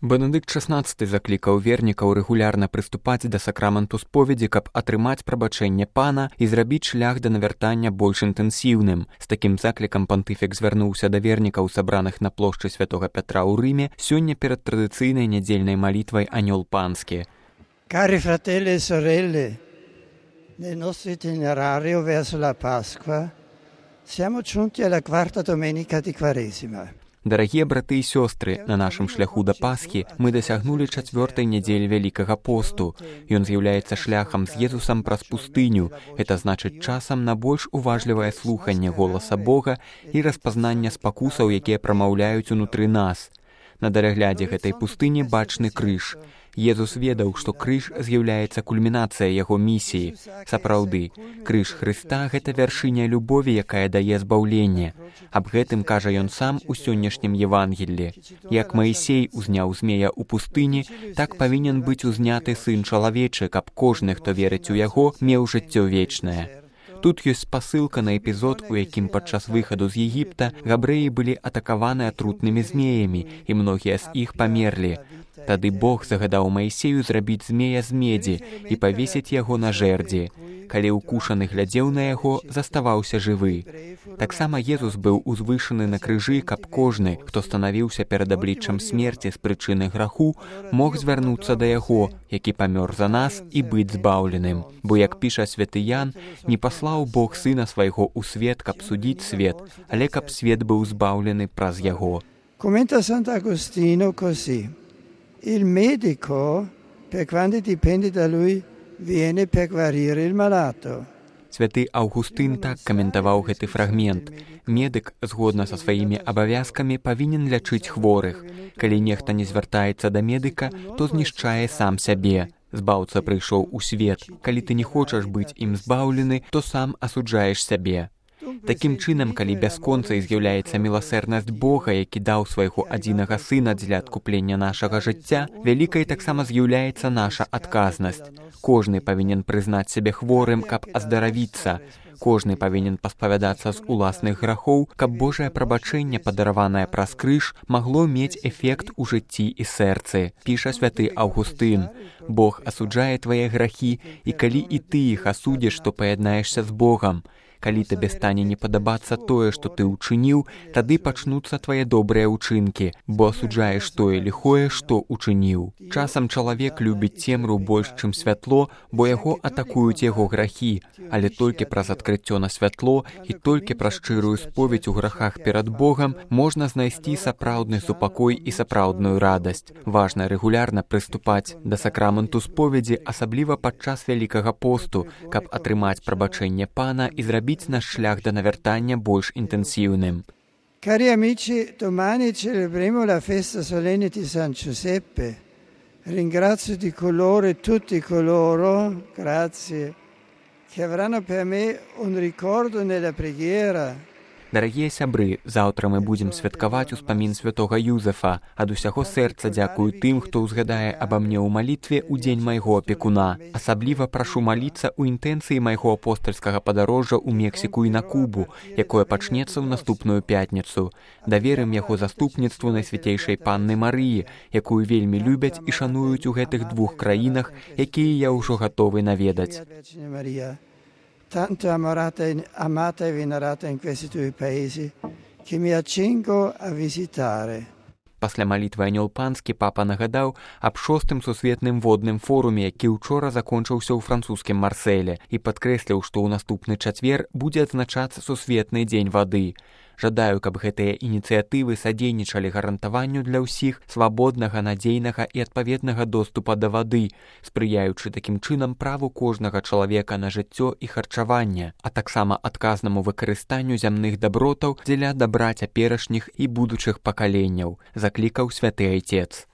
Бенедыкт XVI заклікаў вернікаў рэгулярна прыступаць да сакраменту споведзі, каб атрымаць прабачэнне пана і зрабіць шлях да навяртання больш інтэнсіўным. З такім заклікам пантыфік звярнуўся да вернікаў, сабраных на плошчы Святога Пятра ў Рыме, сёння перад традыцыйнай нядзельнай малітвай «Анёл панскі». Cari fratelli e sorelle, nel nostro itinerario verso la Pasqua siamo giunti alla quarta domenica di Quaresima. Дарагія браты і сёстры, на нашым шляху да Пасхі мы дасягнулі 4-й нядзелі Вялікага посту. Ён з'яўляецца шляхам з Езусам праз пустыню. Гэта значыць часам на больш уважлівае слуханне голаса Бога і распазнання спакусаў, якія прамаўляюць унутры нас. На дараглядзе гэтай пустыні бачны крыж. Езус ведаў, што крыж з'яўляецца кульмінацыяй яго місіі. Сапраўды, крыж Хрыста – гэта вяршыня любові, якая дае збаўленне. Аб гэтым кажа ён сам у сённяшнім Евангеллі. Як Маісей узняў змея ў пустыні, так павінен быць узняты Сын чалавечы, каб кожны, хто верыць у яго, меў жыццё вечнае. Тут ёсць спасылка на эпізод, у якім падчас выхаду з Егіпта габрэі былі атакаваны атрутнымі змеямі, і многія з іх памерлі. Тады Бог загадаў Маісею зрабіць змея з медзі і павесіць яго на жэрдзі. Калі ўкушаны глядзеў на яго, заставаўся жывы. Таксама Езус быў узвышаны на крыжы, каб кожны, хто станавіўся перад абліччам смерці з прычыны граху, мог звярнуцца да яго, які памёр за нас, і быць збаўленым. Бо, як піша святы Ян, не паслаў Бог Сына свайго ў свет, каб судзіць свет, але каб свет быў збаўлены праз яго. Commenta Sant'Agostino così: il medico, per quanto dipende da lui, viene per guarire il malato. Святы Аўгустын так каментаваў гэты фрагмент. Медык, згодна са сваімі абавязкамі, павінен лячыць хворых. Калі нехта не звяртаецца да медыка, то знішчае сам сябе. Збаўца прыйшоў у свет. Калі ты не хочаш быць ім збаўлены, то сам асуджаеш сябе. Такім чынам, калі бясконцай з'яўляецца міласэрнасць Бога, які даў свайго адзінага Сына дзеля адкуплення нашага жыцця, вялікай таксама з'яўляецца наша адказнасць. Кожны павінен прызнаць сябе хворым, каб аздаравіцца. Кожны павінен паспавядацца з уласных грахоў, каб Божае прабачэнне, падараванае праз крыж, магло мець эфект у жыцці і сэрцы. Піша святы Аўгустын: Бог асуджае твае грахі, і калі і ты іх асудзіш, то паяднаешся з Богам. Калі табе стане не падабацца тое, што ты ўчыніў, тады пачнуцца твае добрыя ўчынкі, бо асуджаеш тое ліхое, што ўчыніў. Часам чалавек любіць цемру больш, чым святло, бо яго атакуюць яго грахі, але толькі праз адкрыццё на святло і толькі праз шчырую споведь у грахах перад Богам можна знайсці сапраўдны супакой і сапраўдную радасць. Важна рэгулярна прыступаць да сакраменту споведзі, асабліва падчас Вялікага посту, каб атрымаць прабачэнне Пана і зрабіць наш шлях да навяртання больш інтэнсіўным. Cari amici, domani celebreremo la festa solenne di San Giuseppe. Ringrazio di cuore tutti coloro, grazie, che avranno per me un ricordo nella preghiera. Дарагія сябры, заўтра мы будзем святкаваць успамін святога Юзефа. Ад усяго сэрца дзякую тым, хто ўзгадае аба мне ў малітве ў дзень майго апекуна. Асабліва прашу маліцца ў інтэнцыі майго апостальскага падарожжа ў Мексіку і на Кубу, якое пачнецца ў наступную пятніцу. Даверым яго заступніцтву Найсвяцейшай Панны Марыі, якую вельмі любяць і шануюць у гэтых двух краінах, якія я ўжо гатовы наведаць. Tanto amata e venerata in questi due paesi, che mi accingo a visitare. Пасля малітвы «Анёл панскі» папа нагадаў аб 6-м сусветным водным форуме, які ўчора закончыўся ў французскім Марсэле, і падкрэсліў, што ў наступны чацвер будзе адзначацца сусветны дзень вады. Жадаю, каб гэтыя ініцыятывы садзейнічалі гарантаванню для ўсіх свабоднага, надзейнага і адпаведнага доступа да вады, спрыяючы такім чынам праву кожнага чалавека на жыццё і харчаванне, а таксама адказнаму выкарыстанню зямных дабротаў дзеля дабра цяперашніх і будучых пакаленняў, заклікаў святы айцец.